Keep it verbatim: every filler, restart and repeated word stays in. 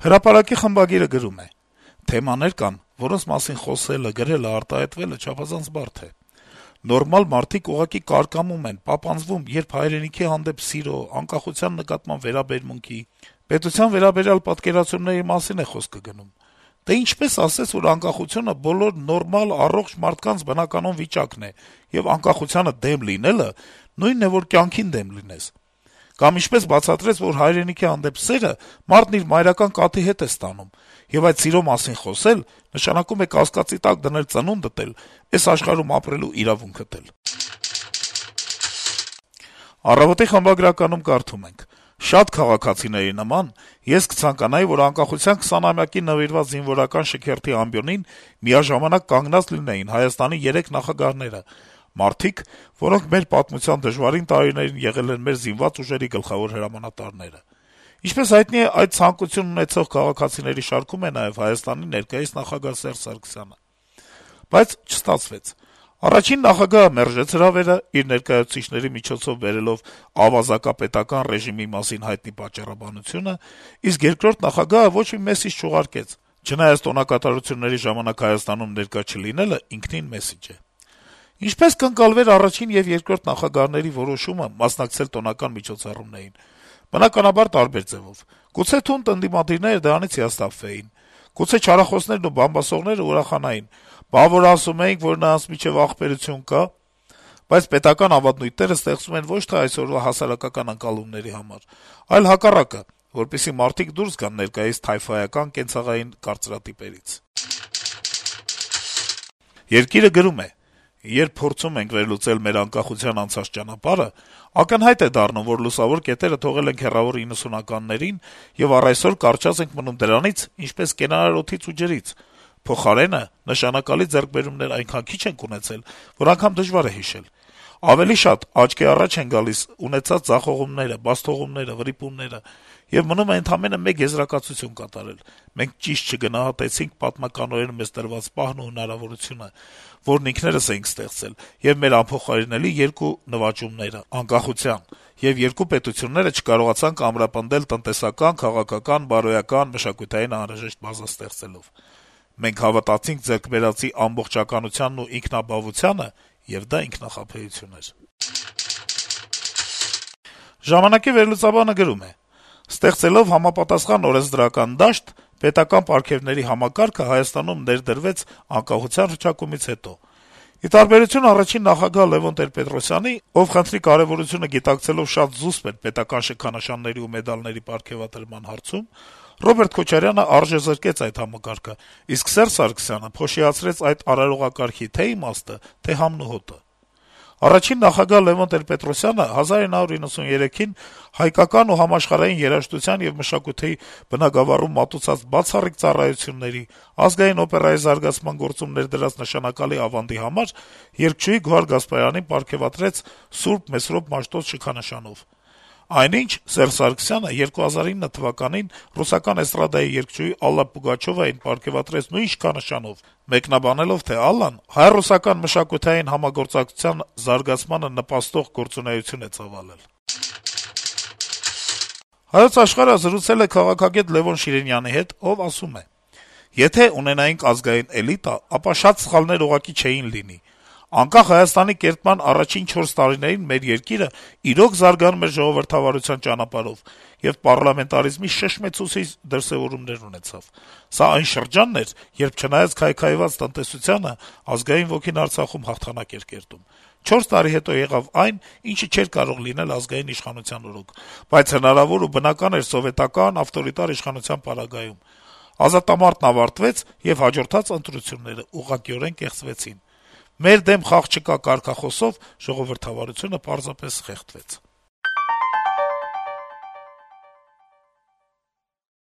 Հրապարակի խմբագիրը գրում է. - «Թեմաներ կան, որոնց մասին խոսելը, գրելը, արտահայտվելը չափազանց բարդ է: Նորմալ մարդիկ ուղղակի կարկամում են, պապանձվում, երբ հայրենիքի հանդեպ սիրո, անկախության նկատմամբ վերաբերմունքի, պետության վերաբերյալ պատկերացումների մասին է խոսքը գնում: Դե ինչպե՞ս ասես, որ անկախությունը բոլոր նորմալ, առողջ մարդկանց բնականոն վիճակն է, եւ անկախությանը դեմ լինելը նույնն է, որ կյանքին դեմ լինես: Կամ ինչպե՞ս բացատրես, որ հայրենիքի հանդեպ սերը մարդն իր մայրական կաթի հետ է ստանում, եւ այդ սիրո մասին խոսել նշանակում է կասկածի տակ դնել ծնունդդ էլ, էս աշխարհում ապրելու իրավունքդ էլ»: «Առավոտ»-ի խմբագրականում կարդում ենք. - «Շատ քաղաքացիների նման ես կցանկանայի, որ անկախության քսանամյակին նվիրված զինվորական շքերթի ամբիոնին միաժամանակ կանգնած լինեին Հայաստանի երեք նախագահները, մարդիկ, որոնք մեր պատմության դժվարին տարիներին եղել են մեր զինված ուժերի գլխավոր հրամանատարները: Ինչպես հայտնի է, այդ ցանկություն ունեցող քաղաքացիների շարքում է նաեւ Հայաստանի ներկայիս նախագահ Սերժ Սարգսյանը: Բայց չստացվեց: Առաջին նախագահը մերժեց հրավերը` իր ներկայացուցիչների միջոցով բերելով ավազակապետական ռեժիմի մասին հայտնի պատճառաբանությունը, իսկ երկրորդ նախագահը ոչ մի մեսիջ չուղարկեց, չնայած տոնակատարությունների ժամանակ Հայաստանում ներկա չլինելը ինքնին մեսիջ է: Ինչպե՞ս կընկալվեր առաջին եւ երկրորդ նախագահների որոշումը մասնակցել տոնական միջոցառումներին: Բնականաբար տարբեր ձեւով: Գուցե թունդ ընդդիմադիրները դրանից հիասթափվեին, գուցե չարախոսներն ու բամբասողները ուրախանային. «Բա որ ասում էինք, որ նրանց միջեւ ախպերություն կա»: Բայց պետական ավանդույթները ստեղծվում են ոչ թե այսօրվա հասարակական ընկալումների համար, այլ հակառակը, որպեսզի մարդիկ դուրս գան ներկայիս թայֆայական կենցաղային կարծրատիպերից»: «Երկիր»-ը գրում է. - «Երբ փորձում ենք վերլուծել մեր անկախության անցած ճանապարհը, ակնհայտ է դառնում, որ լուսավոր կետերը թողել ենք հեռավոր իննսունականներին եւ առ այսօր կարճած ենք մնում դրանից, ինչպես կենարար օդից ու ջրից: Փոխարենը, նշանակալի ձեռքբերումներ այնքան քիչ ենք ունեցել, որ անգամ դժվար է հիշել: Ավելի շատ աչքի առաջ են գալիս ունեցած ձախողումները, բացթողումները, վրիպումները, եւ մնում է ընդամենը մեկ եզրակացություն կատարել. մենք ճիշտ չգնահատեցինք պատմականորեն մեզ տրված պահն ու հնարավորությունը, որն ինքներս էինք ստեղծել, եւ մեր անփոխարինելի երկու նվաճումները` անկախության, եւ երկու պետությունները չկարողացանք ամրապնդել տնտեսական, քաղաքական, բարոյական, մշակութային անհրաժեշտ բազա ստեղծելով: Մենք հավատացինք ձեռք բերածի ամբողջականությանն ու ինքնաբավությանը, եւ դա ինքնախաբեություն էր»: «Ժամանակ»-ի վերլուծաբանը գրում է. - «Ստեղծելով համապատասխան օրենսդրական դաշտ, պետական պարգևների համակարգը Հայաստանում ներդրվեց անկախության հռչակումից հետո: Ի տարբերություն առաջին նախագահ Լեւոն Տեր-Պետրոսյանի, ով խնդրի կարեւորությունը գիտակցելով շատ զուսպ էր պետական շքանշանների ու մեդալների պարգեւատրման հարցում, Ռոբերտ Քոչարյանը արժեզրկեց այդ համակարգը, իսկ Սերժ Սարգսյանը փոշիացրեց այդ արարողակարգի թե' իմաստը, թե' համն ու հոտը: Առաջին նախագահ Լեւոն Տեր-Պետրոսյանը հազար իննյակ հարյուր իննսուներեքին հայկական ու համաշխարհային երաժշտության եւ մշակույթի բնագավառում մատուցած բացառիկ ծառայությունների, Ազգային օպերայի զարգացման գործում ներդրած նշանակալի ավանդի համար երգչուհի Գոհար Գասպարյանին պարգեւատրեց Սուրբ Մեսրոպ Մաշտոց շքանշանով: Այնինչ Սերժ Սարգսյանը երկու հազար ինը թվականին ռուսական էստրադայի երգչուհի Ալլա Պուգաչովային պարգեւատրեց նույն շքանշանով, մեկնաբանելով, թե Ալլան հայ-ռուսական մշակութային համագործակցության զարգացմանը նպաստող գործունեություն է ծավալել: «Հայոց Աշխարհ»-ը զրուցել է քաղաքագետ Լեւոն Շիրինյանի հետ, ով ասում է. - «Եթե ունենայինք ազգային էլիտա, ապա շատ սխալներ ուղղակի չէին լինի: Անկախ Հայաստանի կերտման առաջին չորս տարիներին մեր երկիրը իրոք զարգանում էր ժողովրդավարության ճանապարհով եւ պառլամենտարիզմի շշմեցուցիչ դրսեւորումներ ունեցավ: Սա այն շրջանն էր, երբ չնայած քայքայված տնտեսությանը, ազգային ոգին Արցախում հաղթանակ էր կերտում: Չորս տարի հետո եղավ այն, ինչը չէր կարող լինել ազգային իշխանության օրոք, բայց հնարավոր ու բնական էր սովետական ավտորիտար իշխանության պարագայում: Ազատամարտն ավարտվեց, եւ հաջորդած ընտրությունները ուղղակիորեն կեղծվեցին: «Մեր դեմ խաղ չկա» կարգախոսով ժողովրդավարությունը պարզապես խեղդվեց»: